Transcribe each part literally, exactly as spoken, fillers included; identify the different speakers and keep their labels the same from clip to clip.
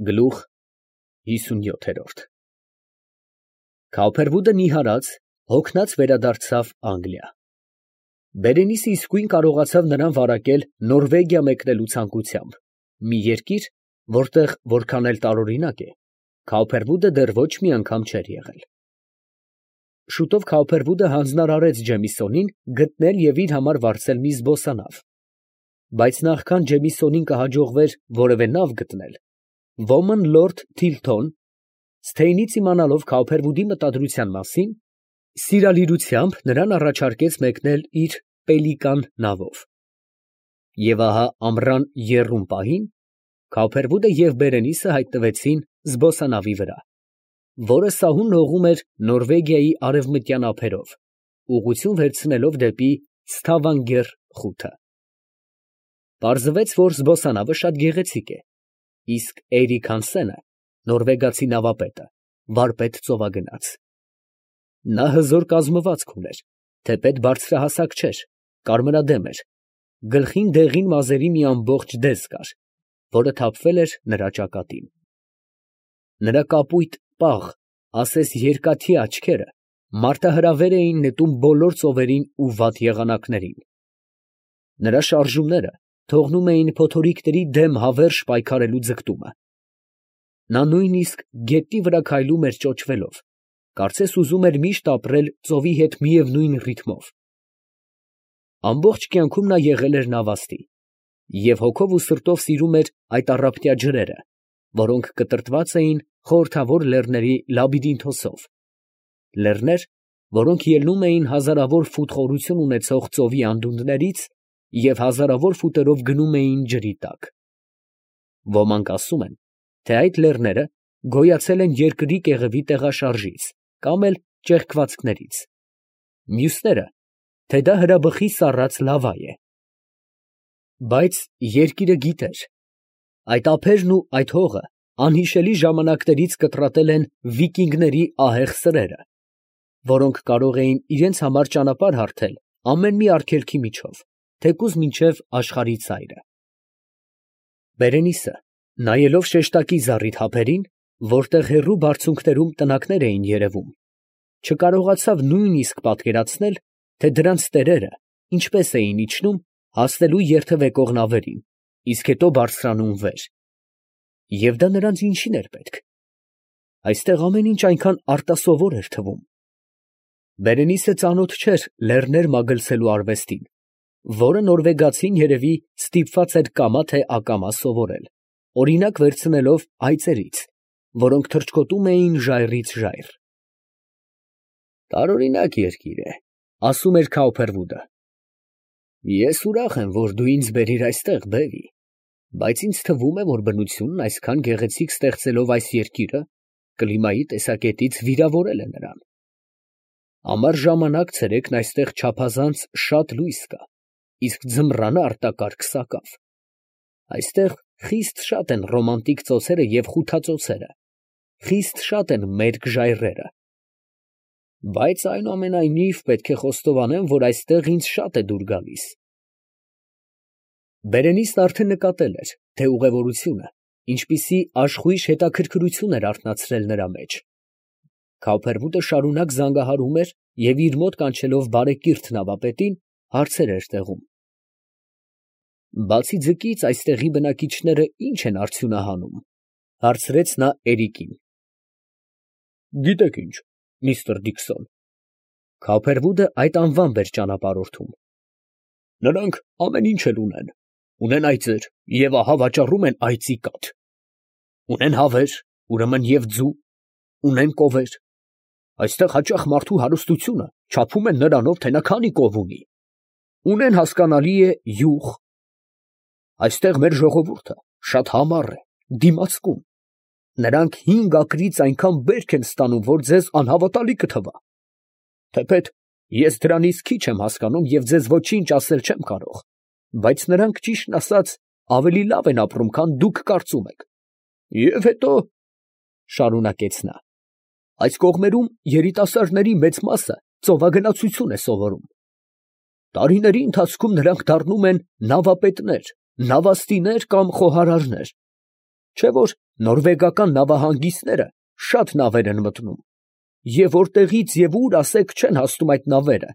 Speaker 1: Գլուխ հիսունյոթ։ Քավփերվուդը նիհարած, հոգնած վերադարձավ Անգլիա։ Բերենիսը իսկույն կարողացավ նրան վարակել Նորվեգիա մեկնելու ցանկությամբ, մի երկիր, որտեղ որքան էլ տարօրինակ է, Քավփերվուդը դեռ ոչ մի անգամ չէր եղել։ Շուտով Քավփերվուդը հանձնարարեց Ջեմիսոնին գտնել և իր համար վարձել մի զբոսանավ, բայց նախքան Ջեմիսոնին կհաջողվեր որևէ նավ գտնել, ոմն լորդ Թիլթոն, Սթեյնից իմանալով Քավփերվուդի մտադրության մասին, սիրալիրությամբ նրան առաջարկեց մեկնել իր Պելիկան նավով։ Եվ ահա ամռան եռում պահին Քավփերվուդը և Բերենիսը հայտնվեցին զբոսանավի վրա, որը սահուն լողում էր Նորվեգիայի արևմտյան ափերով, ուղղություն վերցնելով դեպի Ստավանգեր խութը։ Պարզվեց, որ զբոսանավը շատ գեղեցիկ է, իսկ Էյրիկ Հանսենը, նորվեգացի նավապետը, վարպետ ծովագնաց։ Նա հզոր կազմվածք ուներ, թեպետ բարձրահասակ չէր, կարմրադեմ էր, գլխին դեղին մազերի մի ամբողջ դես կար, որը թափվել էր նրա ճակատին։ Նրա կապույտ, պաղ, ասես երկաթյա աչքերը մարտահրավեր էին նետում բոլոր ծովերին ու վատ եղանակներին։ Նրա շարժումները թողնում էին փոթորիկների դեմ հավերժ պայքարելու ձգտումը։ Նա նույնիսկ գետնի վրա քայլում էր ճոճվելով, կարծես ուզում էր միշտ ապրել ծովի հետ միևնույն ռիթմով։ Ամբողջ կյանքում նա եղել էր նավաստի և հոգով ու սրտով սիրում էր այդ առափնյա ջրերը, որոնք կտրտված էին խորհրդավոր լեռների լաբիրինթոսով, լեռներ, որոնք ելնում էին հազարավոր ֆուտ խորություն ունեցող ծովի անդունդներից և հազարավոր ֆուտերով գնում էին ջրի տակ։ Ոմանք ասում են, թե այդ լեռները գոյացել են երկրի կեղևի տեղաշարժից կամ էլ ճեղքվածքներից, մյուսները, թե դա հրաբխի սառած լավա է։ Բայց երկիրը գիտեր, այդ ափերն ու այդ հողը անհիշելի ժամանակներից կտրատել են վիկինգների ահեղ սրերը, որոնք կարող էին իրենց համար ճանապարհ հարթել ամեն մի արգելքի միջով, թեկուզ մինչև աշխարհի ծայրը։ Բերենիսը, նայելով շեշտակի զառիթ ափերին, որտեղ հեռու բարձունքներում տնակներ էին երևում, չկարողացավ նույնիսկ պատկերացնել, թե դրանց տերերը ինչպես էին իջնում հասնելու երթևեկող նավերին, իսկ հետո բարձրանում վեր։ Եվ դա նրանց ինչի՞ն էր պետք։ Այստեղ ամեն ինչ այնքան արտասովոր էր թվում։ Բերենիսը ծանոթ չէր լեռներ մագլցելու արվեստին, որը նորվեգացին երևի ստիպված էր կամա թե ակամա սովորել, օրինակ վերցնելով այծերից, որոնք թռչկոտում էին ժայռից ժայռ։ «Տարօրինակ երկիր է, ֊ ասում էր Քավփերվուդը։ Ես ուրախ եմ, որ դու ինձ բերիր այստեղ, բևի, բայց ինձ թվում է, որ բնությունն այսքան գեղեցիկ ստեղծելով այս երկիրը, կլիմայի տեսակետից վիրավորել է նրան։ Ամառ ժամանակ ցերեկն այստեղ չափազանց շատ լույս կա, իսկ ձմռանը արտակարգ սակավ։ Այստեղ խիստ շատ են ռոմանտիկ ծոցերը և խութածոցերը, խիստ շատ են մերկ ժայռերը։ Բայց այնուամենայնիվ պետք է խոստովանեմ, որ այստեղ ինձ շատ է դուր գալիս»։ Բերենիսն արդեն նկատել էր, թե ուղևորությունը ինչպիսի աշխույժ հետաքրքրություն էր արթնացրել նրա մեջ։ Քավփերվուդը շարունակ զանգահարում էր և իր մոտ կանչելով բարեկիրթ նավապետին, հարցեր էր տեղում։ «Բացի ձկից, այստեղի բնակիչները ի՞նչ են արդյունահանում, ֊ հարցրեց նա Էրիկին։ ֊ Գիտեք ինչ, միստր Դիքսոն. (Քավփերվուդը այդ անվամբ էր ճանապարհորդում) նրանք ամեն ինչ էլ ունեն, ունեն այծեր և ահա վաճառում են այծի կաթ, ունեն հավեր, ուրեմն և ձու, ունեն կովեր, այստեղ հաճախ մարդու հարստությունը չափում են նրանով, թե նա քանի կով ունի, ունեն, հասկանալի է, յուղ։ Այստեղ մեր ժողովուրդը շատ համառ է, դիմացկուն, նրանք հինգ ակրից այնքան բերք են ստանում, որ ձեզ անհավատալի կթվա, թեպետ ես դրանից քիչ եմ հասկանում և ձեզ ոչինչ ասել չեմ կարող, բայց նրանք, ճիշտն ասած, ավելի լավ են ապրում, քան դուք կարծում եք։ Եվ հետո, ֊ շարունակեց նա, ֊ այս կողմերում երիտասարդների մեծ մասը ծովագնացություն է սովորում. տարիների ընթացքում նրանք դառնում են նավապետներ, նավաստիներ կամ խոհարարներ, չէ՞ որ նորվեգական նավահանգիստները շատ նավեր են մտնում, և որտեղից և ուր ասեք չեն հասնում այդ նավերը,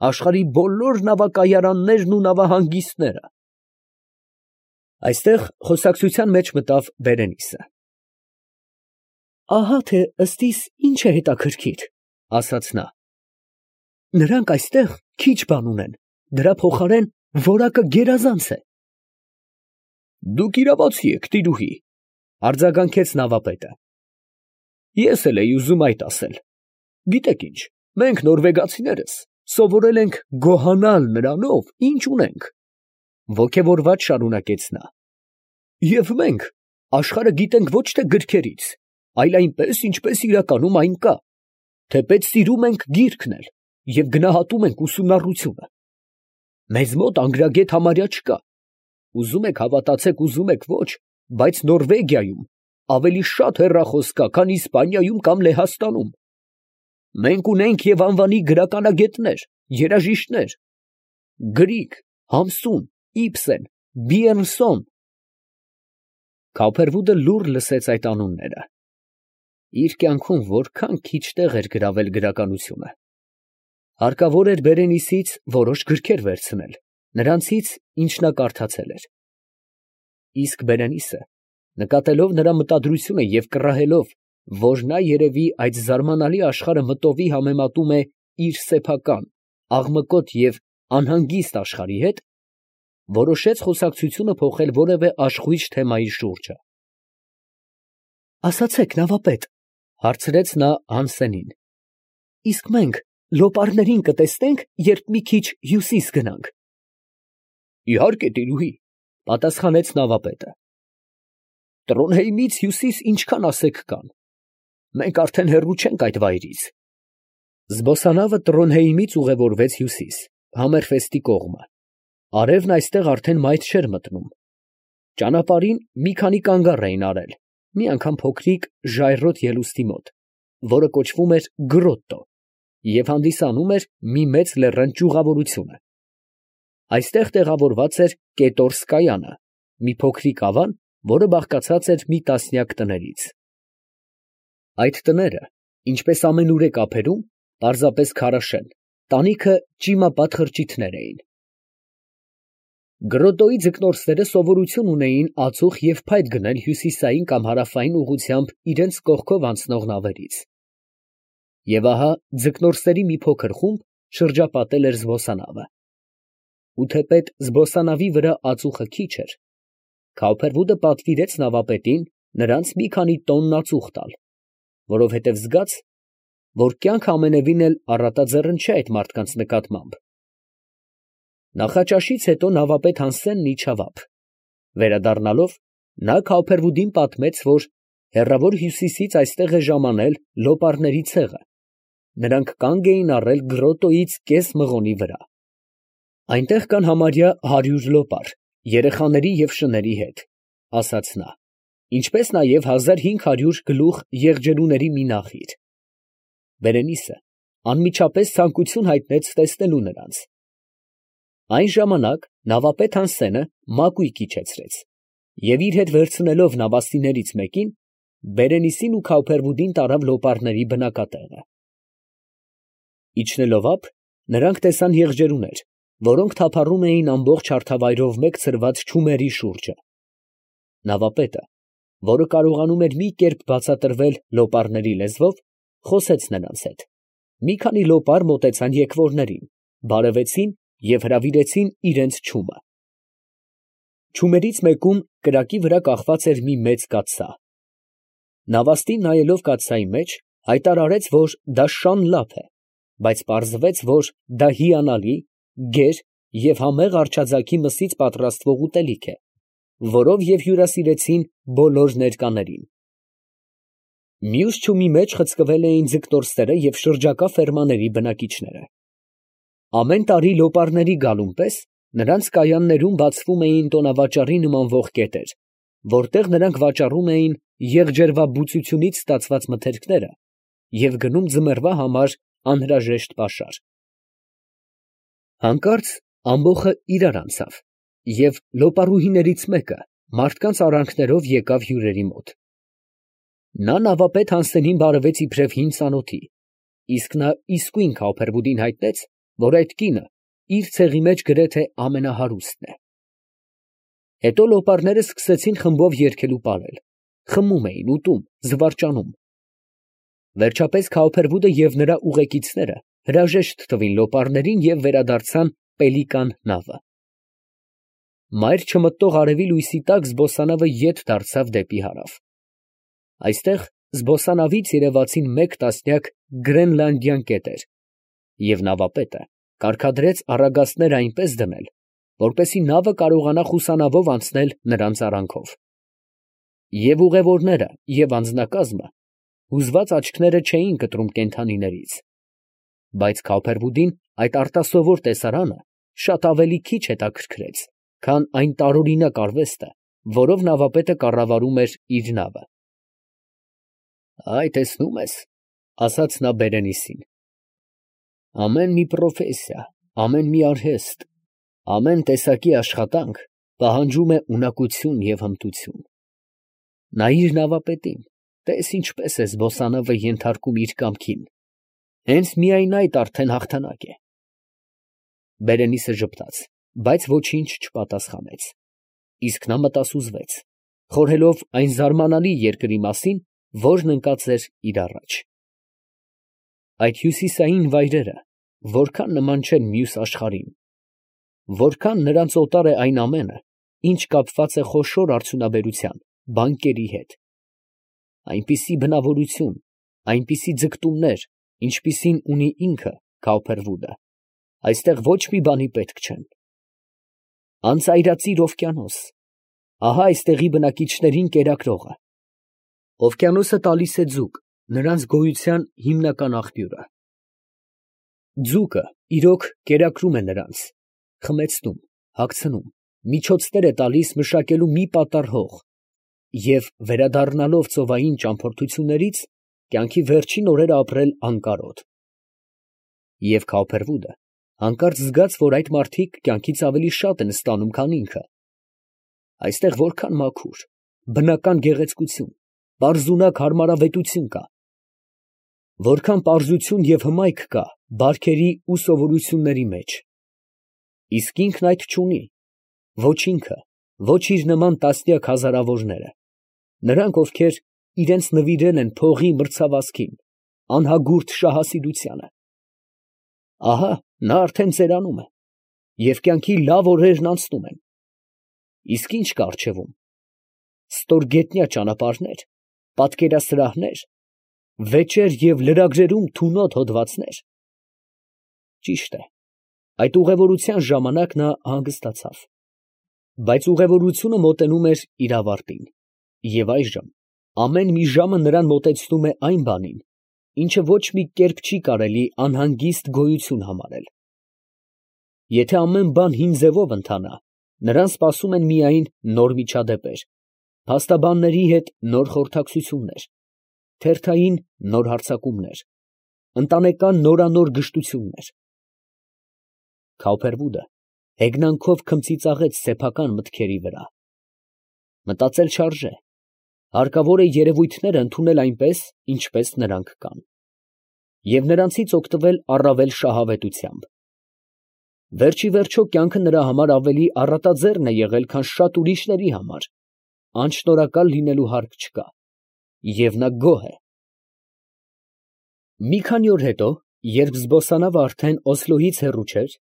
Speaker 1: աշխարհի բոլոր նավակայարաններն ու նավահանգիստները։ Այստեղ խոսակցության մեջ մտավ Բերենիսը։ Ահա թե ըստիս ինչ է հետաքրքիր, ասաց նա. նրանք այստեղ քիչ բան ունեն, դրա փոխարեն որակը գերազանց է։ Դուք իրավացի եք, տիրուհի, արձագանքեց նավապետը։ Ես էլ էի ուզում այդ ասել։ Գիտեք ինչ, մենք նորվեգացիներս սովորել ենք գոհանալ նրանով, ինչ ունենք, ոգևորված շարունակեց նա։ Եվ մենք աշխարհը գիտենք ոչ թե գրքերից, այլ այնպես, ինչպես իրականում այն կա, թեպետ սիրում ենք գիրքն էլ և գնահատում ենք ուսումնառությունը։ Մեզ մոտ անգրագետ համարյա չկա։ Ուզում եք հավատացեք, ուզում եք ոչ, բայց Նորվեգիայում ավելի շատ հեռախոս կա, քան Իսպանիայում կամ Լեհաստանում։ Մենք ունենք և անվանի գրականագետներ, երաժիշտներ, Գրիգ, Համսուն, Իբսեն, Բիերնսոն։ Քոփերվուդը լուռ լսեց այդ անունները։ Իր կյանքում որքան քիչ տեղ էր գրավել գրականությունը։ Հարկավոր էր Բերենիսից որոշ գրքեր վերցնել, նրանցից, ինչ նա կարդացել էր։ Իսկ Բերենիսը, նկատելով նրա մտադրությունը և կռահելով, որ նա երևի այդ զարմանալի աշխարհը մտովի համեմատում է իր սեփական, աղմկոտ և անհանգիստ աշխարհի հետ, որոշեց խոսակցությունը փոխել որևէ աշխույժ թեմայի շուրջը։ Ասացեք, նավապետ, հարցրեց նա Հանսենին, իսկ մենք լոպարներին կտեսնե՞նք, երբ մի քիչ հյուսիս գնանք։ Իհարկե, տիրուհի, պատասխանեց նավապետը։ Տրոնհեյմից հյուսիս ինչքան ասեք կան։ Մենք արդեն հեռու չենք այդ վայրից։ Զբոսանավը Տրոնհեյմից ուղևորվեց հյուսիս, Համերֆեստի կողմը։ Արևն այստեղ արդեն մայթ չէր մտնում։ Ճանապարհին մի քանի կանգառ էին արել, մի անգամ փոքրիկ ժայռոտ ելուստի մոտ, որը կոչվում էր Գրոտտո, և հանդիսանում էր մի մեծ լեռան ճյուղավորությունը։ Այստեղ տեղավորված էր Կետորսկայանը, մի փոքրիկ ավան, որը բաղկացած էր մի տասնյակ տներից։ Այդ տները, ինչպես ամենուրեք ափերում, պարզապես քարաշեն, տանիքը ճիմապատ խրճիթներ էին։ Գրոտոյի ձկնորսները սովորություն ունեին ածուխ և փայտ գնել հյուսիսային կամ հարավային ուղղությամբ իրենց կողքով անցնող նավերից։ Եվ ահա ձկնորսերի մի փոքր խումբ շրջապատել էր զբոսանավը։ Ու թեպետ զբոսանավի վրա ածուխը քիչ էր, Քոփերվուդը պատվիրեց նավապետին նրանց մի քանի տոնն ածուխ տալ, որովհետև զգաց, որ կյանքը ամենևին էլ առատաձեռն չէ այդ մարդկանց նկատմամբ։ Նախաճաշից հետո նավապետ Հանսենն իջավ ափ։ Վերադառնալով, նա Քոփերվուդին պատմեց, որ հեռավոր հյուսիսից այստեղ է ժամանել լոպարների ցեղը։ Նրանք կանգ էին առել Գրոտոյից կես մղոնի վրա։ Այնտեղ կան համարյա հարյուր լոպար, երեխաների և շների հետ, ասաց նա, ինչպես նաև հազար հինգ հարյուր գլուխ եղջերուների մի նախիր։ Բերենիսը անմիջապես ցանկություն հայտնեց տեսնելու նրանց։ Այն ժամանակ նավապետ Հանսենը մակույկը իջեցրեց և իր հետ վերցնելով նավաստիներից մեկին, Բերենիսին ու Քոփերվուդին տարավ լոպարների բնակատեղը։ Իջնելով ափ, նրանք տեսան եղջերուներ, որոնք թափառում էին ամբողջ հարթավայրով մեկ ցրված չումերի շուրջը։ Նավապետը, որը կարողանում էր մի կերպ բացատրվել լոպարների լեզվով, խոսեց նրանց հետ։ Մի քանի լոպար մոտեցան եկվորներին, բարևեցին և հրավիրեցին իրենց չումը։ Չումերից մեկում կրակի վրա կախված էր մի մեծ կաթսա։ Նավաստին նայելով կաթսայի մեջ, հայտարարեց, որ դա շան լափ է, բայց պարզվեց, որ դա հիանալի, գեր և համեղ արչաձագի մսից պատրաստվող ուտելիք է, որով և հյուրասիրեցին բոլոր ներկաներին։ Մյուս չումի մեջ խցկվել էին ձկնորսները և շրջակա ֆերմաների բնակիչները։ Ամեն տարի լոպարների գալուն պես նրանց կայաններում բացվում էին տոնավաճառի նմանվող կետեր, որտեղ նրանք վաճառում էին եղջերվաբուծությունից ստացված մթերքները և գնում ձմեռվա համար անհրաժեշտ պաշար։ Հանկարծ ամբոխը իրար անցավ, և լոպարուհիներից մեկը, մարդկանց արանքներով եկավ հյուրերի մոտ։ Նա նավապետ Հանսենին բարևեց իբրև հին ծանոթի, իսկ նա իսկույն Քավբերվուդին հայտնեց, որ այդ կինը իր ցեղի մեջ գրեթե ամենահարուստն է։ Հետո լոպարները սկսեցին խմբով երգել ու պարել, խմում էին, ուտում, զվարճանում։ Վերջապես Քավբերվուդը և նրա ուղեկիցները հրաժեշտ տվին լոպարներին և վերադարձան Պելիկան նավը։ Մայր չմտնող արևի լույսի տակ զբոսանավը ետ դարձավ դեպի հարավ։ Այստեղ զբոսանավից երևացին մեկ տասնյակ գրենլանդյան կետեր, և նավապետը կարգադրեց առագաստները այնպես դնել, որպեսզի նավը կարողանա խուսանավով անցնել նրանց արանքով։ Եվ ուղևորները, և անձնակազմը հուզված աչքները չէին կտրում կենդանիներից, բայց Քավբերվուդին այդ արտասովոր տեսարանը շատ ավելի քիչ հետաքրքրեց, քան այն տարօրինակ արվեստը, որով նավապետը կառավարում էր իր նավը։ «Այ, տեսնում ես, ֊ ասաց նա Բերենիսին, ֊ ամեն մի պրոֆեսիա, ամեն մի արհեստ, ամեն տեսակի աշխատանք պահանջում է ունակություն և հմտություն։ Նայիր նավապետին, տես ինչպես է զբոսանավը ենթարկում իր կամքին, հենց միայն այդ արդեն հաղթանակ է»։ Բերենիսը ժպտաց, բայց ոչինչ չպատասխանեց, իսկ նա մտասուզվեց, խորհելով այն զարմանալի երկրի մասին, որն ընկած էր իր առաջ։ Այդ հյուսիսային վայրերը որքան նման չեն մյուս աշխարհին, որքան նրանց օտար է այն ամենը, ինչ կապված է խոշոր արդյունաբերության, բանկերի հետ, այնպիսի բնավորություն, այնպիսի ձգտումներ, ինչպիսին ունի ինքը Քավբերվուդը, այստեղ ոչ մի բանի պետք չեն։ Անծայրածիր օվկիանոս, ահա այստեղի բնակիչներին կերակրողը։ Օվկիանոսը տալիս է ձուկ, նրանց գոյության հիմնական աղբյուրը։ Ձուկը, իրոք, կերակրում է նրանց, խմեցնում, հագցնում, միջոցներ է տալիս մշակելու մի պատառ հող և վերադառնալով ծովային ճամփորդություններից, կյանքի վերջին օրերը ապրել անկարոտ։ Եվ Քավբերվուդը հանկարծ զգաց, որ այդ մարդիկ կյանքից ավելի շատ են ստանում, քան ինքը։ Այստեղ որքան մաքուր, բնական գեղեցկություն, պարզունակ հարմարավետություն կա, որքան պարզություն և հմայք կա բարքերի ու սովորությունների մեջ, իսկ ինքն այդ չունի, ոչ ինքը, ոչ իր նման տասնյակ հազարավորները, նրանք, ովքեր իրենց նվիրել են փողի մրցավազքին, անհագուրդ շահասիրությանը։ Ահա նա արդեն ծերանում է, և կյանքի լավ օրերն անցնում են, իսկ ի՞նչ կա առջևում։ Ստորգետնյա ճանապարհներ, պատկերասրահներ, վեճեր և լրագրերում թունոտ հոդվածներ։ Ճիշտ է, այդ ուղևորության ժամանակ նա հանգստացավ, բայց ուղևորությունը մոտենում էր իր ավարտին, և այժմ ամեն մի ժամը նրան մոտեցնում է այն բանին, ինչը ոչ մի կերպ չի կարելի անհանգիստ գոյություն համարել։ Եթե ամեն բան հին ձևով ընթանա, նրան սպասում են միայն նոր միջադեպեր, փաստաբանների հետ նոր խորհրդակցություններ, թերթային նոր հարձակումներ, ընտանեկան նորանոր գժտություններ։ Քավբերվուդը հեգնանքով քմծիծաղեց սեփական մտքերի վրա։ Մտածել չարժե, հարկավոր է երևույթները ընդունել այնպես, ինչպես նրանք կան, և նրանցից օգտվել առավել շահավետությամբ։ Վերջիվերջո կյանքը նրա համար ավելի առատաձեռն է եղել, քան շատ ուրիշների համար, անշնորհակալ լինելու հարկ չկա, և նա գոհ է։ Մի քանի օր հետո, երբ զբոսանավը արդեն Օսլոյից հեռու չէր,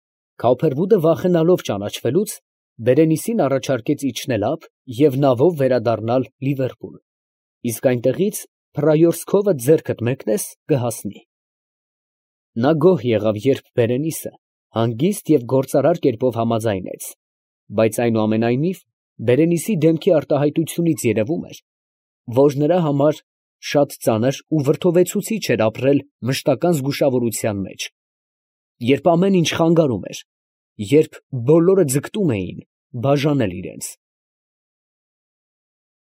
Speaker 1: Քավբերվուդը վախենալով ճանաչվելուց, Բերենիսին առաջարկեց իջնել ափ և նավով վերադառնալ Լիվերպուլ, իսկ այնտեղից Փռայորսկովը ձեռքդ մեկնես, կհասնի։ Նա գոհ եղավ, երբ Բերենիսը հանգիստ և գործարար կերպով համաձայնեց, բայց այնուամենայնիվ Բերենիսի դեմքի արտահայտությունից երևում էր, որ նրա համար շատ ծանր ու վրդովեցուցիչ էր ապրել մշտական զգուշավորության մեջ, երբ ամեն ինչ խանգարում էր, երբ բոլորը ձգտում էին բաժանել իրենց։